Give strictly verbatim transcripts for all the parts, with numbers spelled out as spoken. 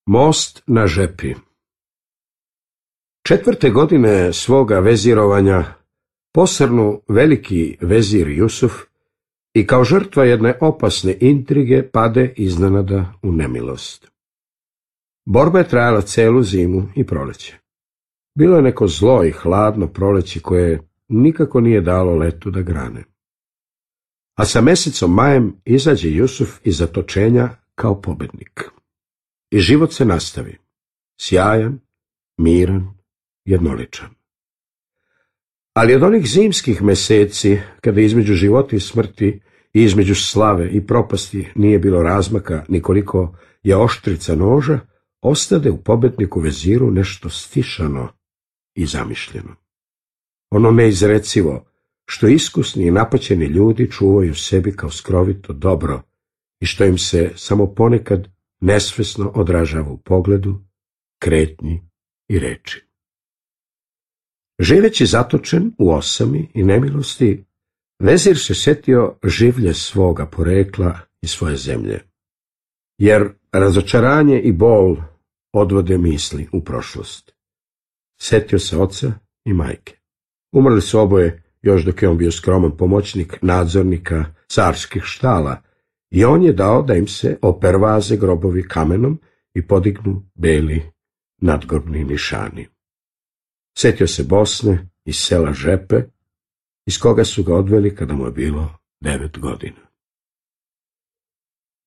Most na Žepi. Četvrte godine svoga vezirovanja posrnu veliki vezir Jusuf i kao žrtva jedne opasne intrige pade iznenada u nemilost. Borba je trajala celu zimu i proleće. Bilo je neko zlo i hladno proleće koje nikako nije dalo letu da grane. A sa mesecom majem izađe Jusuf iz zatočenja kao pobednik. I život se nastavi, sjajan, miran, jednoličan. Ali od onih zimskih meseci, kada između života i smrti i između slave i propasti nije bilo razmaka nikoliko je oštrica noža, ostade u pobedniku veziru nešto stišano i zamišljeno. Ono neizrecivo, što iskusni i napaćeni ljudi čuvaju sebi kao skrovito dobro i što im se samo ponekad nesvesno odražava u pogledu, kretnji i reči. Živeći zatočen u osami i nemilosti, vezir se setio življe svoga porekla i svoje zemlje, jer razočaranje i bol odvode misli u prošlost. Setio se oca i majke. Umrli su oboje još dok je on bio skroman pomoćnik nadzornika carskih štala i on je dao da im se opervaze grobovi kamenom i podignu beli nadgrobni nišani. Setio se Bosne iz sela Žepe, iz koga su ga odveli kada mu je bilo devet godina.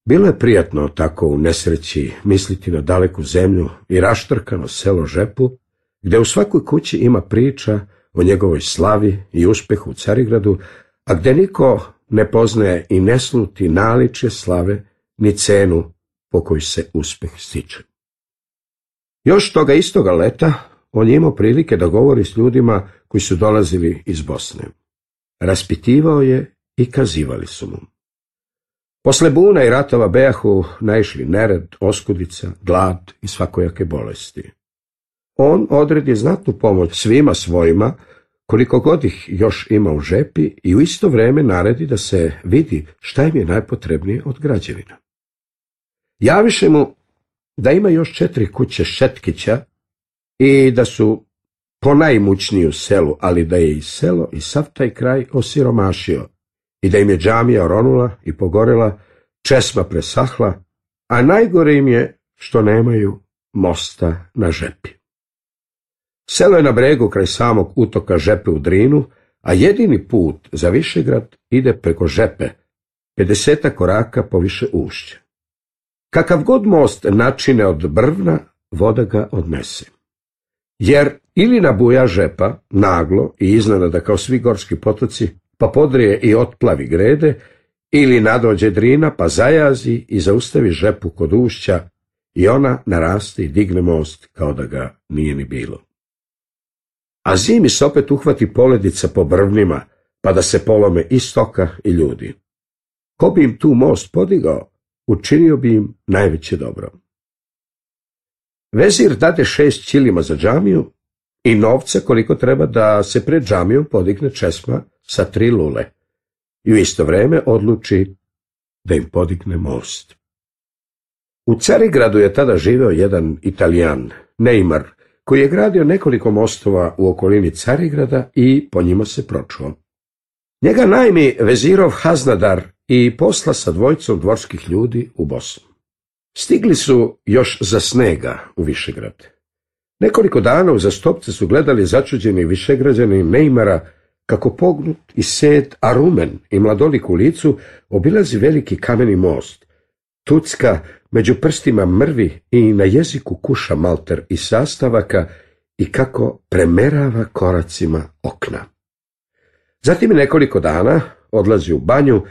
Bilo je prijatno tako u nesreći misliti na daleku zemlju i raštrkano selo Žepu, gde u svakoj kući ima priča o njegovoj slavi i uspehu u Carigradu, a gde niko ne poznaje i ne sluti naličje slave ni cenu po kojoj se uspeh stiče. Još toga istoga leta on je imao prilike da govori s ljudima koji su dolazili iz Bosne. Raspitivao je i kazivali su mu. Posle buna i ratova bejahu naišli nered, oskudica, glad i svakojake bolesti. On odredi znatnu pomoć svima svojima, koliko god ih još ima u žepi, i u isto vreme naredi da se vidi šta im je najpotrebnije od građevina. Javiše mu da ima još četiri kuće Šetkića i da su ponajmućniji u selu, ali da je i selo i sav taj kraj osiromašio i da im je džamija oronula i pogorela, česma presahla, a najgore im je što nemaju mosta na Žepi. Selo je na bregu kraj samog utoka Žepe u Drinu, a jedini put za Višegrad ide preko Žepe, pedesetak koraka poviše ušća. Kakav god most načine od brvna, voda ga odnese. Jer ili nabuja Žepa, naglo i iznenada kao svi gorski potoci, pa podrije i otplavi grede, ili nadođe Drina, pa zajazi i zaustavi Žepu kod ušća i ona naraste i digne most kao da ga nije ni bilo. A zimi se opet uhvati poledica po brvnima, pa da se polome i stoka i ljudi. Ko bi im tu most podigao, učinio bi im najveće dobro. Vezir dade šest ćilima za džamiju i novca koliko treba da se pred džamijom podigne česma sa tri lule i u isto vreme odluči da im podigne most. U Carigradu je tada živeo jedan Italijan, Neymar, koji je gradio nekoliko mostova u okolini Carigrada i po njima se pročuo. Njega najmi vezirov Haznadar i posla sa dvojicom dvorskih ljudi u Bosnu. Stigli su još za snega u Višegrad. Nekoliko dana uzastopce su gledali začuđeni Višegrađani Neymara kako pognut i sed, a rumen i mladolik u licu obilazi veliki kameni most, tucka među prstima mrvi i na jeziku kuša malter i sastavaka i kako premerava koracima okna. Zatim nekoliko dana odlazi u banju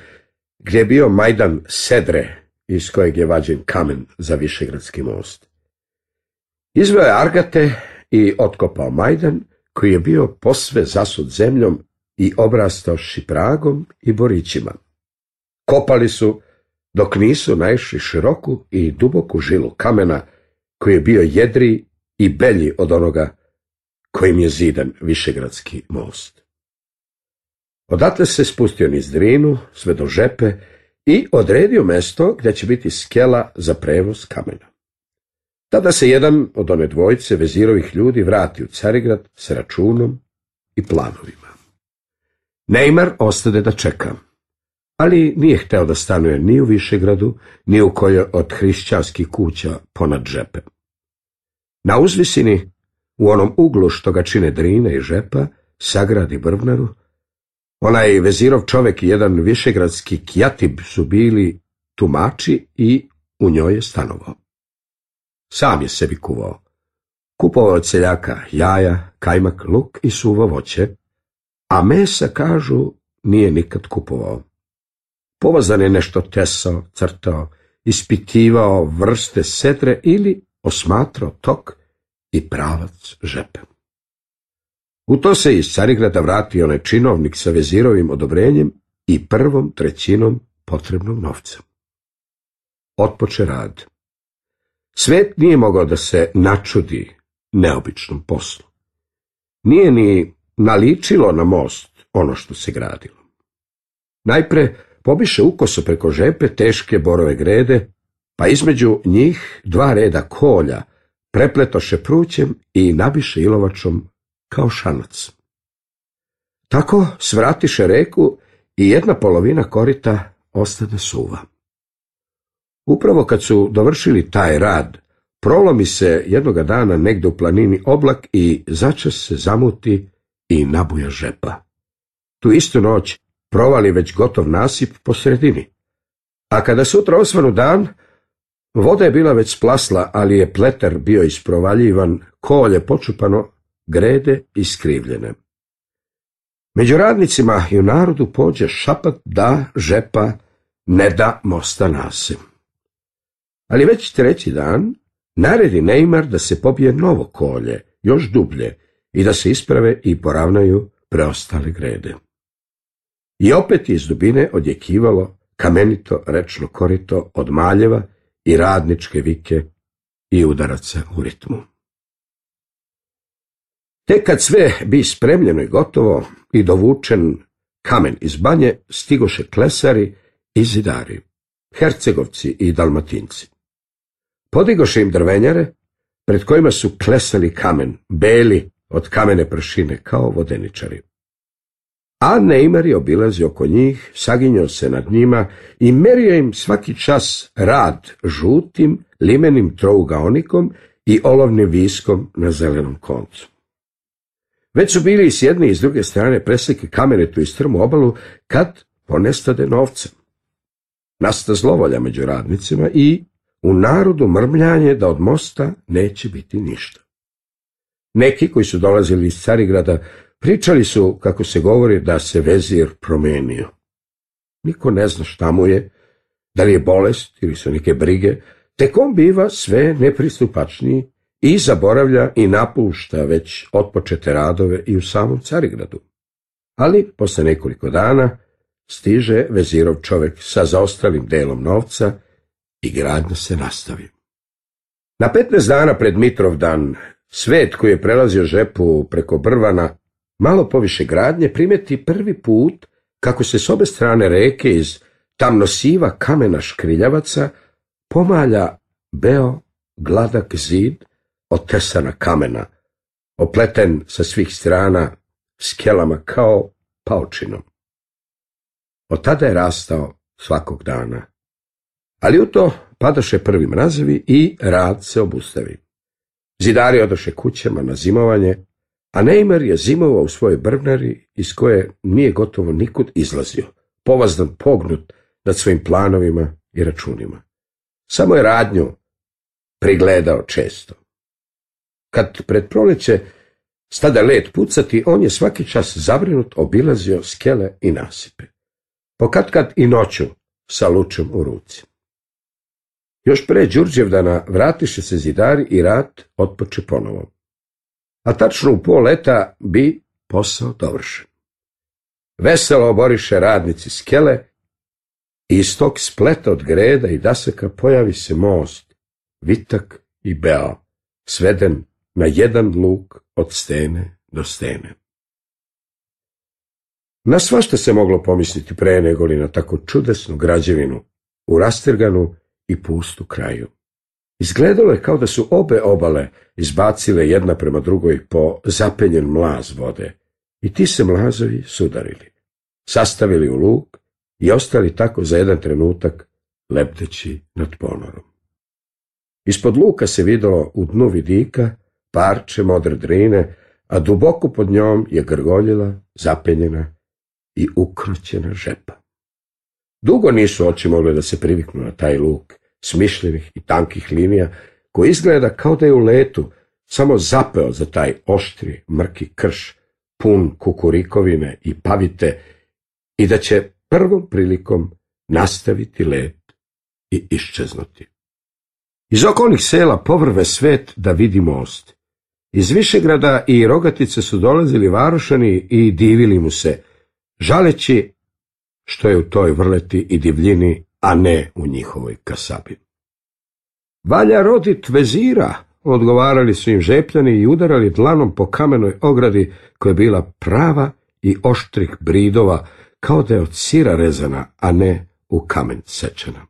gdje je bio majdan sedre iz kojeg je vađen kamen za Višegradski most. Izveo je argate i otkopao majdan koji je bio posve zasut zemljom i obrastao šipragom i borićima. Kopali su dok nisu naišli široku i duboku žilu kamena koji je bio jedriji i belji od onoga kojim je zidan Višegradski most. Odatle se spustio niz Drinu sve do Žepe i odredio mesto gdje će biti skela za prevoz kamena. Tada se jedan od one dvojice vezirovih ljudi vrati u Carigrad s računom i planovima. Neymar ostade da čeka, ali nije hteo da stanuje ni u Višegradu, ni u kojoj od hrišćanskih kuća ponad Žepe. Na uzvisini, u onom uglu što ga čine Drine i Žepa, sagradi brvnaru. Onaj vezirov čovek i jedan višegradski kjatib su bili tumači i u njoj je stanovao. Sam je sebi kuvao. Kupovao od seljaka jaja, kajmak, luk i suvo voće, a mesa, kažu, nije nikad kupovao. Povazan je nešto tesao, crtao, ispitivao vrste sedre ili osmatrao tok i pravac Žepe. U to se iz Carigrada vratio onaj činovnik sa vezirovim odobrenjem i prvom trećinom potrebnog novca. Otpoče rad. Svet nije mogao da se načudi neobičnom poslu. Nije ni naličilo na most ono što se gradilo. Najpre pobiše ukoso preko Žepe teške borove grede, pa između njih dva reda kolja prepletoše prućem i nabiše ilovačom kao šanac. Tako svratiše reku i jedna polovina korita ostane suva. Upravo kad su dovršili taj rad, prolomi se jednoga dana negde u planini oblak i začas se zamuti i nabuja Žepa. Tu istu noć provali već gotov nasip po sredini. A kada sutra osvanu dan, voda je bila već splasla, ali je pleter bio isprovaljivan, kolje počupano, grede iskrivljene. Među radnicima i u narodu pođe šapat da Žepa ne da mosta nase. Ali već treći dan naredi Neymar da se pobije novo kolje, još dublje, i da se isprave i poravnaju preostale grede. I opet iz dubine odjekivalo kamenito rečno korito od maljeva i radničke vike i udaraca u ritmu. Tek kad sve bi spremljeno i gotovo i dovučen kamen iz banje, stigoše klesari i zidari, hercegovci i dalmatinci. Podigoše im drvenjare, pred kojima su klesali kamen, beli od kamene pršine, kao vodeničari. A Neymar je obilazio oko njih, saginjao se nad njima i merio im svaki čas rad žutim, limenim trougaonikom i olovnim viskom na zelenom koncu. Već su bili i s jedne i s druge strane preseke kamenetu i strmu obalu, kad ponestade novca. Nasta zlovolja među radnicima i u narodu mrmljanje da od mosta neće biti ništa. Neki koji su dolazili iz Carigrada pričali su, kako se govori, da se vezir promenio. Niko ne zna šta mu je, da li je bolest ili su neke brige, tek on biva sve nepristupačniji i zaboravlja i napušta već otpočete radove i u samom Carigradu. Ali posle nekoliko dana stiže vezirov čovek sa zaostalim delom novca i gradnja se nastavi. Na petnaest dana pred Mitrovdan, svet koji je prelazio Žepu preko Brvana, malo poviše gradnje, primeti prvi put kako se s obe strane reke iz tamnosiva kamena škriljavaca pomalja beo gladak zid od tesana kamena, opleten sa svih strana skelama kao paučinom. Od tada je rastao svakog dana. Ali u to padaše prvi mrazevi i rad se obustavi. Zidari odoše kućama na zimovanje, a Neymar je zimovao u svojoj brvnari iz koje nije gotovo nikud izlazio, povazdan pognut nad svojim planovima i računima. Samo je radnju prigledao često. Kad pred proleće stada led pucati, on je svaki čas zabrinut obilazio skele i nasipe. Pokatkad i noću sa lučem u ruci. Još pre Đurđevdana vratiše se zidari i rad otpoče ponovo. A tačno u pol leta bi posao dovršen. Veselo oboriše radnici skele i iz tog spleta od greda i dasaka pojavi se most, vitak i beo, sveden na jedan luk od stene do stene. Na svašta se moglo pomisliti pre nego li na tako čudesnu građevinu u rastrganu i pustu kraju. Izgledalo je kao da su obe obale izbacile jedna prema drugoj po zapenjen mlaz vode i ti se mlazovi sudarili, sastavili u luk i ostali tako za jedan trenutak lebdeći nad ponorom. Ispod luka se videlo u dnu vidika parče modre drine, a duboko pod njom je grgoljila, zapenjena i ukroćena žepa. Dugo nisu oči mogle da se priviknu na taj luk smišljenih i tankih linija, koji izgleda kao da je u letu samo zapeo za taj oštri, mrki krš, pun kukurikovine i pavite, i da će prvom prilikom nastaviti let i iščeznuti. Iz okolnih sela povrve svet da vidi most. Iz Višegrada i Rogatice su dolazili varošani i divili mu se, žaleći što je u toj vrleti i divljini, a ne u njihovoj kasabi. Valja rodit vezira, odgovarali su im Žepljani i udarali dlanom po kamenoj ogradi koja je bila prava i oštrih bridova, kao da je od sira rezana, a ne u kamen sečena.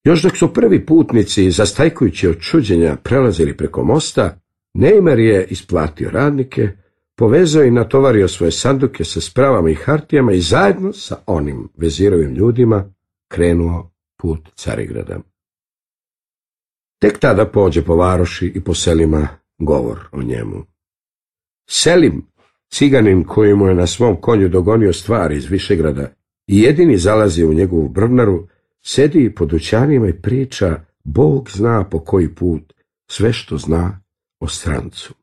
Još dok su prvi putnici, zastajkujući od čuđenja, prelazili preko mosta, Nejmer je isplatio radnike, povezao i natovario svoje sanduke sa spravama i hartijama i zajedno sa onim vezirovim ljudima krenuo put Carigrada. Tek tada pođe po varoši i po selima govor o njemu. Selim, ciganin koji mu je na svom konju dogonio stvari iz Višegrada i jedini zalazi u njegovu brvnaru, sedi po dućanima i priča, Bog zna po koji put, sve što zna o strancu.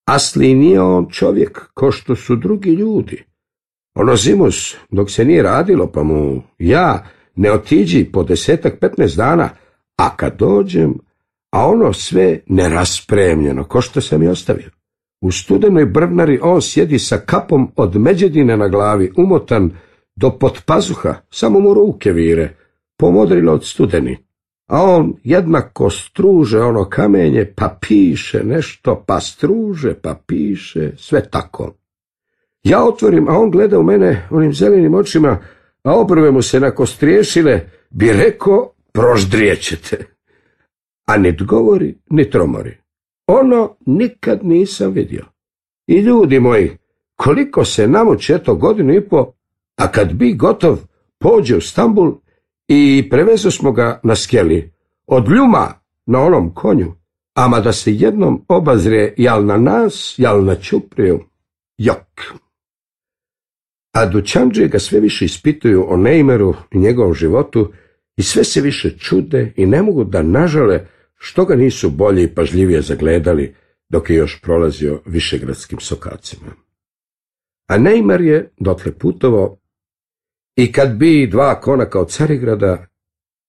Asli nije on čovjek ko što su drugi ljudi. Ono zimus, dok se nije radilo, pa mu ja ne otiđi po desetak, petnaest dana, a kad dođem, a ono sve neraspremljeno, ko što sam i ostavio. U studenoj brvnari on sjedi sa kapom od međedine na glavi, umotan do potpazuha, samo mu ruke vire, pomodrilo od studeni. A on jednako struže ono kamenje, pa piše nešto, pa struže, pa piše, sve tako. Ja otvorim, a on gleda u mene onim zelenim očima, a obrve mu se nakostriješile, bi rekao, proždrijećete. A nit govori, nit tromori. Ono nikad nisam vidio. I ljudi moji, koliko se namuči, eto godinu i po, a kad bi gotov, pođe u Stambul i prevezo smo ga na skeli, od ljuma na onom konju, ama da se jednom obazre jal na nas, jal na Ćupriju, jok. A dućandžije ga sve više ispituju o Nejmeru i njegovom životu i sve se više čude i ne mogu da nažale što ga nisu bolje i pažljivije zagledali dok je još prolazio višegradskim sokacima. A Nejmer je dotle putovao i kad bi dva konaka od Carigrada,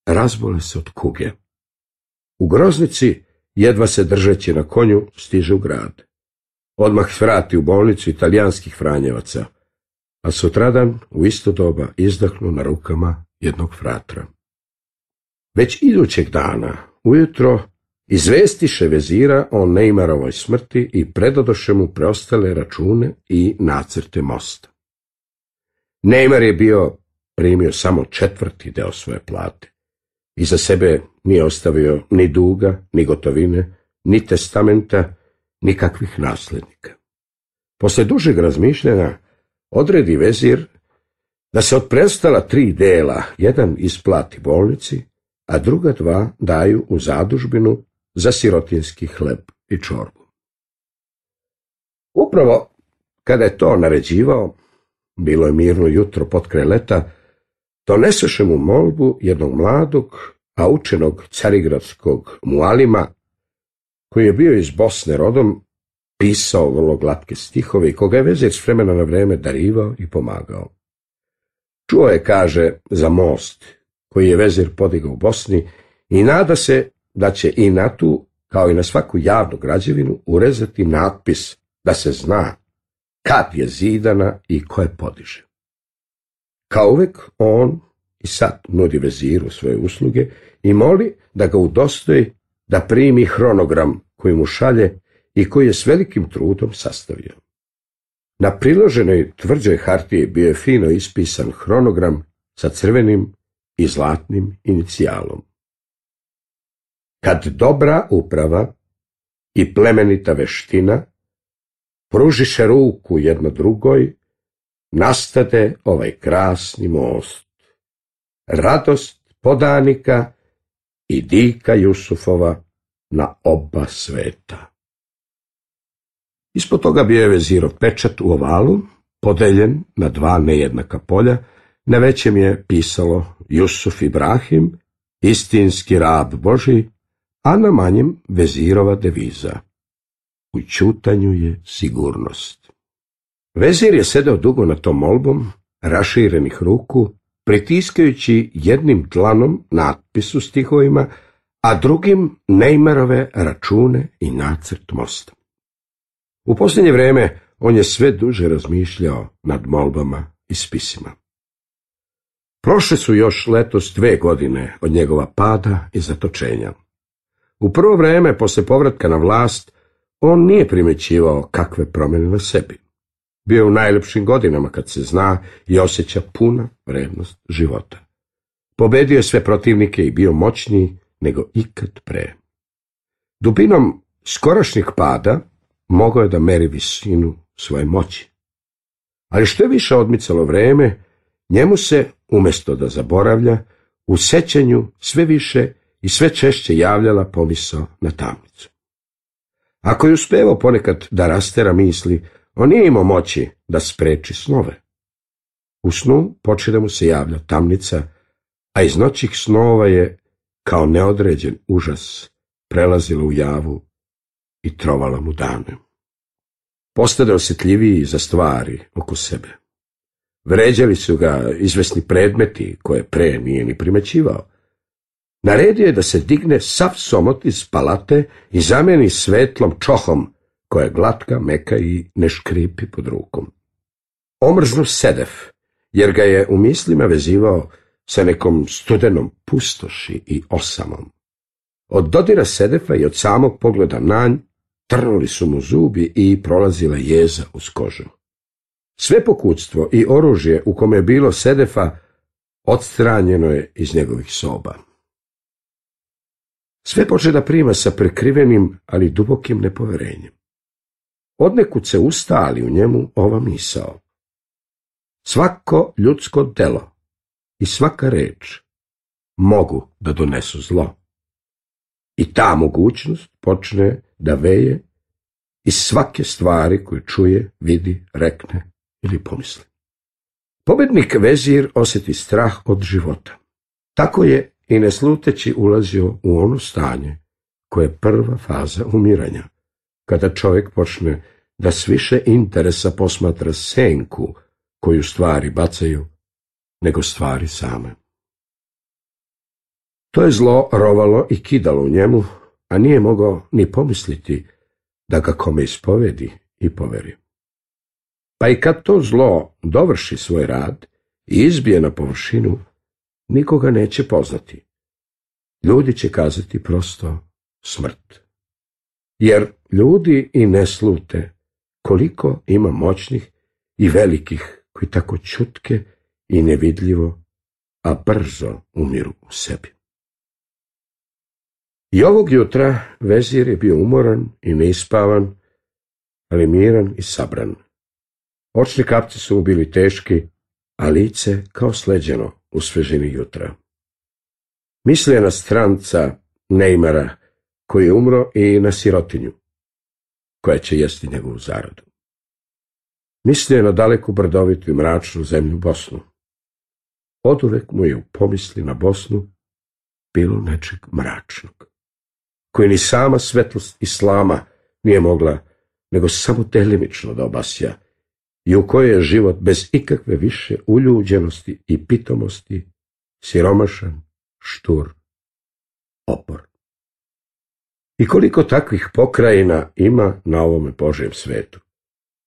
razbole se od kuge. U groznici, jedva se držeći na konju, stiže u grad. Odmah vrati u bolnicu italijanskih franjevaca, a sutradan u isto doba izdahnu na rukama jednog fratra. Već idućeg dana, ujutro, izvestiše vezira o Nejmerovoj smrti i predadoše mu preostale račune i nacrte mosta. Nejmer je bio primio samo četvrti deo svoje plate. Iza sebe nije ostavio ni duga, ni gotovine, ni testamenta, ni kakvih nasljednika. Posle dužeg razmišljanja odredi vezir da se od preostala tri dela jedan isplati bolnici, a druga dva daju u zadužbinu za sirotinski hleb i čorbu. Upravo kada je to naređivao, bilo je mirno jutro potkraj leta, doneseše mu molbu jednog mladog, a učenog carigradskog mualima, koji je bio iz Bosne rodom, pisao vrlo glatke stihove i koga je vezir s vremena na vreme darivao i pomagao. Čuo je, kaže, za most koji je vezir podigao u Bosni i nada se da će i na tu, kao i na svaku javnu građevinu, urezati natpis da se zna kad je zidana i ko je podiže. Kao uvek, on i sad nudi veziru svoje usluge i moli da ga udostoji da primi hronogram koji mu šalje i koji je s velikim trudom sastavio. Na priloženoj tvrđoj hartiji bio je fino ispisan hronogram sa crvenim i zlatnim inicijalom. kad dobra uprava i plemenita veština pružiše ruku jedno drugoj, nastade ovaj krasni most. Radost podanika i dika Jusufova na oba sveta. Ispod toga bio je vezirov pečat u ovalu, podeljen na dva nejednaka polja. Na većem je pisalo Jusuf Ibrahim, istinski rab Božji, a na manjem vezirova deviza: u ćutanju je sigurnost. Vezir je sedeo dugo na tom molbom, raširenih ruku, pritiskajući jednim dlanom natpis u stihovima, a drugim Neymarove račune i nacrt mosta. U posljednje vrijeme on je sve duže razmišljao nad molbama i spisima. Prošle su još letos dve godine od njegova pada i zatočenja. U prvo vrijeme, posle povratka na vlast, on nije primjećivao kakve promjene na sebi. Bio je u najljepšim godinama kad se zna i osjeća puna vrednost života. Pobedio je sve protivnike i bio moćniji nego ikad pre. Dubinom skorašnjeg pada mogao je da meri visinu svoje moći. Ali što je više odmicalo vrijeme, njemu se, umjesto da zaboravlja, u sećanju sve više i sve češće javljala pomisao na tamnicu. Ako je uspevao ponekad da rastera misli, on nije imao moći da spreči snove. U snu počne da mu se javlja tamnica, a iz noćih snova je, kao neodređen užas, prelazila u javu i trovala mu dane. Postade osjetljiviji za stvari oko sebe. Vređali su ga izvesni predmeti koje pre nije ni primećivao. Naredio je da se digne sav somot iz palate i zameni svetlom čohom, koja je glatka, meka i ne škripi pod rukom. Omrznu sedef, jer ga je u mislima vezivao sa nekom studenom pustoši i osamom. Od dodira sedefa i od samog pogleda na nj trnuli su mu zubi i prolazila jeza uz kožu. Sve pokućstvo i oružje u kome je bilo sedefa odstranjeno je iz njegovih soba. Sve počne da prima sa prekrivenim, ali dubokim nepoverenjem. Odnekud se ustali u njemu ova misao: svako ljudsko delo i svaka reč mogu da donesu zlo. I ta mogućnost počne da veje iz svake stvari koju čuje, vidi, rekne ili pomisli. Pobednik vezir osjeti strah od života. Tako je i nesluteći ulazio u ono stanje koje je prva faza umiranja, kada čovjek počne da s više interesa posmatra senku koju stvari bacaju, nego stvari same. To je zlo rovalo i kidalo u njemu, a nije mogao ni pomisliti da ga kome ispovedi i poveri. Pa i kad to zlo dovrši svoj rad i izbije na površinu, nikoga neće poznati. Ljudi će kazati prosto smrt. Jer ljudi i ne slute koliko ima moćnih i velikih koji tako čutke i nevidljivo, a brzo umiru u sebi. I ovog jutra vezir je bio umoran i neispavan, ali miran i sabran. Očni kapci su mu bili teški, a lice kao sleđeno u svežini jutra. Mislio je na stranca Neymara, koji je umro, i na sirotinju, koja će jesti njegovu zaradu. Mislio je na daleku brdovitu i mračnu zemlju Bosnu. Oduvek mu je u pomisli na Bosnu bilo nečeg mračnog, koji ni sama svetlost islama nije mogla nego samo delimično da obasja, i u kojoj je život bez ikakve više uljuđenosti i pitomosti, siromašan, štur, opor. I koliko takvih pokrajina ima na ovome Božjem svetu?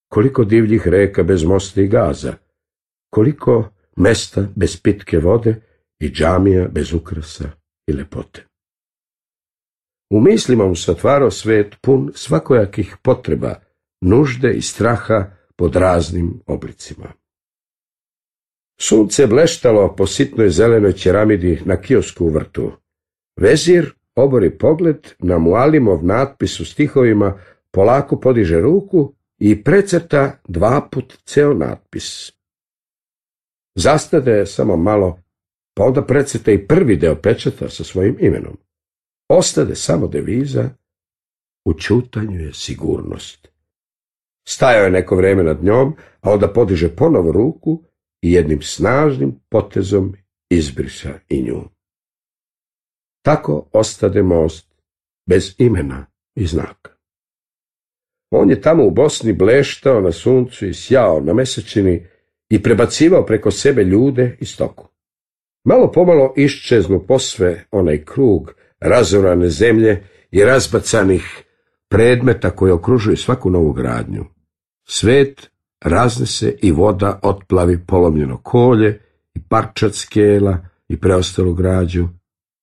Koliko divljih reka bez mosta i gaza? Koliko mesta bez pitke vode i džamija bez ukrasa i lepote? U mislima mu se otvarao svet pun svakojakih potreba, nužde i straha pod raznim oblicima. Sunce bleštalo po sitnoj zelenoj ćeramidi na kiosku u vrtu. Vezir obori pogled na Mualimov natpis u stihovima, polako podiže ruku i precrta dva put ceo natpis. Zastade samo malo, pa onda precrta i prvi deo pečata sa svojim imenom. Ostade samo deviza: u ćutanju je sigurnost. Stajao je neko vreme nad njom, a onda podiže ponovo ruku i jednim snažnim potezom izbriša i nju. Tako ostade most bez imena i znaka. On je tamo u Bosni bleštao na suncu i sjao na mesečini i prebacivao preko sebe ljude i stoku. Malo pomalo iščeznu posve onaj krug razorane zemlje i razbacanih predmeta koji okružuju svaku novu gradnju. Svet raznese i voda otplavi polomljeno kolje i parčad skela i preostalu građu,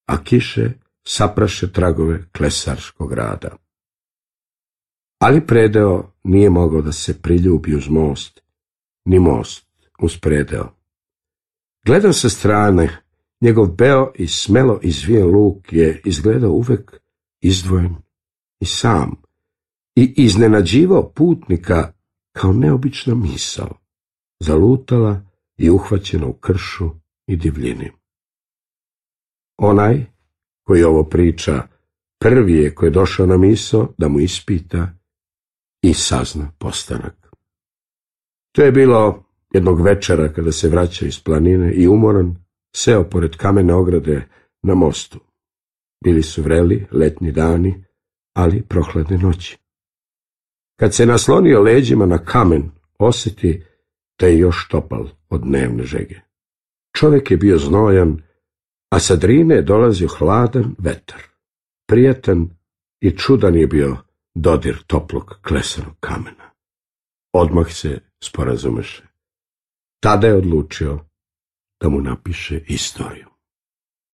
a kiše sapraše tragove klesarskog rada. Ali predeo nije mogao da se priljubi uz most, ni most uz predeo. Gledan sa strane, njegov beo i smelo izvijen luk je izgledao uvek izdvojen i sam i iznenađivao putnika kao neobična misao, zalutala i uhvaćena u kršu i divljini. Onaj koji ovo priča prvi je koji je došao na misao da mu ispita i sazna postanak. To je bilo jednog večera kada se vraća iz planine i umoran seo pored kamene ograde na mostu. Bili su vreli letnji dani, ali prohladne noći. Kad se naslonio leđima na kamen, osjeti da je još topal od dnevne žege. Čovjek je bio znojan, a sa drine je dolazio hladan vetar. Prijatan i čudan je bio dodir toplog klesanog kamena. Odmah se sporazumeše. Tada je odlučio da mu napiše istoriju.